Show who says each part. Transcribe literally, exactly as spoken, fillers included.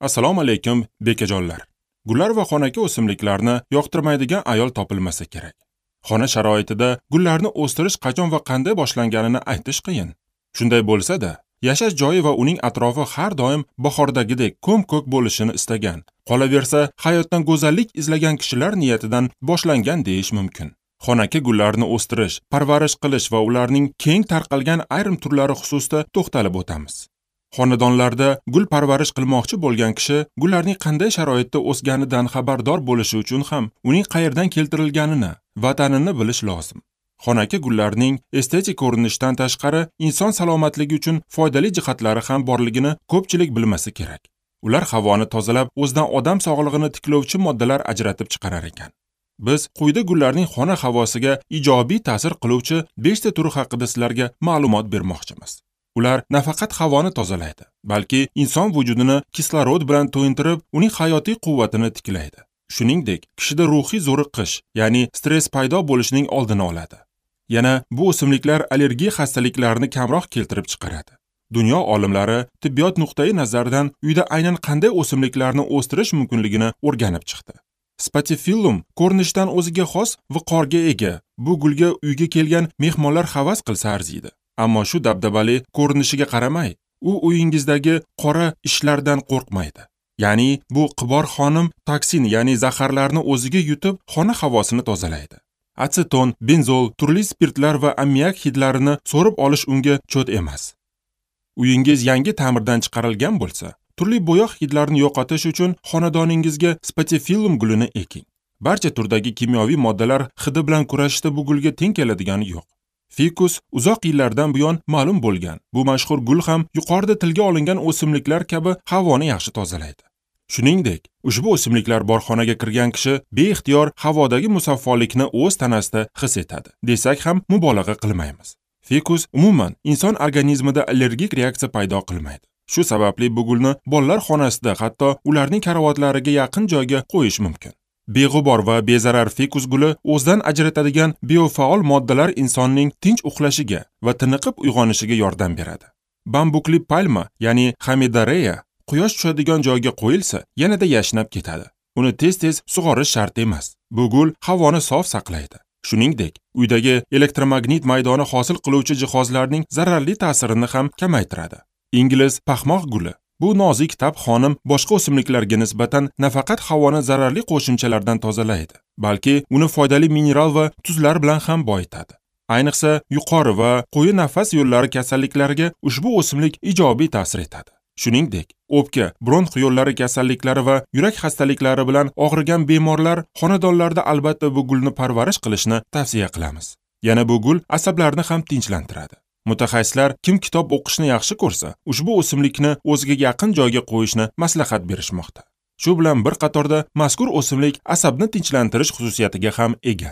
Speaker 1: Assalomu alaykum bekajonlar. Gullar va xonaki o'simliklarni yoqtirmaydigan ayol topilmasa kerak. Xona sharoitida gullarni o'stirish qachon va qanday boshlanganini aytish qiyin. Shunday bo'lsa-da, yashash joyi va uning atrofi har doim bahordagidek ko'm-ko'k bo'lishini istagan, qolaversa hayotdan go'zallik izlagan kishilar niyatidan boshlangan deyish mumkin. Xonaki gullarni o'stirish, parvarish qilish va ularning keng tarqalgan ayrim turlari xususida to'xtalib o'tamiz. Xonadonlarda gul parvarish qilmoqchi bo'lgan kishi gullarning qanday sharoitda o'sganidan xabardor bo'lishi uchun ham uning qayerdan keltirilganini, vatanini bilish lozim. Xonaki gullarning estetik ko'rinishdan tashqari inson salomatligi uchun foydali jihatlari ham borligini ko'pchilik bilmasa kerak. Ular havoni tozalab, o'zidan odam sog'lig'ini tiklovchi moddalar ajratib chiqarar ekan. Biz quyida gullarning xona havosiga ijobiy ta'sir qiluvchi besh ta turi haqida sizlarga ma'lumot bermoqchimiz. Ular nafaqat havoni tozalaydi, balki inson vujudini kislorod bilan to'yintirib, uning hayotiy quvvatini tiklaydi. Shuningdek, kishida ruhiy zo'riqish, ya'ni stress paydo bo'lishining oldini oladi. Yana bu o'simliklar allergiya xastaliklarini kamroq keltirib chiqaradi. Dunyo olimlari tibbiyot nuqtai nazaridan uyda aynan qanday o'simliklarni o'stirish mumkinligini o'rganib chiqdi. Spatifillum ko'rinishdan o'ziga xos viqorga ega. Bu gulga uyga kelgan mehmonlar havas qilsa arziydi. Ammo shu dabdabali ko'rinishiga qaramay, u uyingizdagi qora ishlardan qo'rqmaydi. Ya'ni bu qibor xonim toksin, ya'ni zaharlarni o'ziga yutib, xona havosini tozalaydi. Aseton, benzol, turli spirtlar va ammiak hidlarini so'rib olish unga cho't emas. Uyingiz yangi ta'mirdan chiqarilgan bo'lsa, turli bo'yoq hidlarini yo'qotish uchun xonadoningizga spatifillum gulini eking. Barcha turdagi kimyoviy moddalar hidi bilan kurashishda bu gulga teng keladigani yo'q. Fikus uzoq yillardan buyon ma'lum bo'lgan. Bu mashhur gul ham yuqorida tilga olingan o'simliklar kabi havoni yaxshi tozalaydi. Shuningdek, ushbu o'simliklar bor xonaga kirgan kishi beixtiyor havodagi musaffolikni o'z tanasida his etadi, desak ham mubolag'a qilmaymiz. Fikus umuman inson organizmida allergik reaksiya paydo qilmaydi. Shu sababli bu gulni bolalar xonasida, hatto ularning karavotlariga yaqin joyga qo'yish mumkin. Beg'ubor va bezarar fikus guli o'zidan ajratadigan biofaol moddalar insonning tinch uxlashiga va tiniqib uyg'onishiga yordam beradi. Bambukli palma, ya'ni Hamidareya, quyosh tushadigan joyga qo'yilsa, yanada yashnab ketadi. Uni tez-tez sug'orish shart emas. Bu gul havoni sof saqlaydi. Shuningdek, uydagi elektromagnit maydoni hosil qiluvchi jihozlarning zararli ta'sirini ham kamaytiradi. Ingliz paxmoq guli. Bu nozik tab xonim boshqa o'simliklarga nisbatan nafaqat havoni zararli qo'shimchalardan tozalaydi, balki uni foydali mineral va tuzlar bilan ham boyitadi. Ayniqsa, yuqori va quyi nafas yo'llari kasalliklariga ushbu o'simlik ijobiy ta'sir etadi. Shuningdek, o'pka, bronx yo'llari kasalliklari va yurak xastaliklari bilan og'rigan bemorlar xonadonlarda albatta bu gulni parvarish qilishni tavsiya qilamiz. Yana bu gul asablarni ham tinchlantiradi. Mutaxassislar kim kitob o'qishni yaxshi ko'rsa, ushbu o'simlikni o'ziga yaqin joyga qo'yishni maslahat berishmoqda. Shu bilan bir qatorda mazkur o'simlik asabni tinchlantirish xususiyatiga ham ega.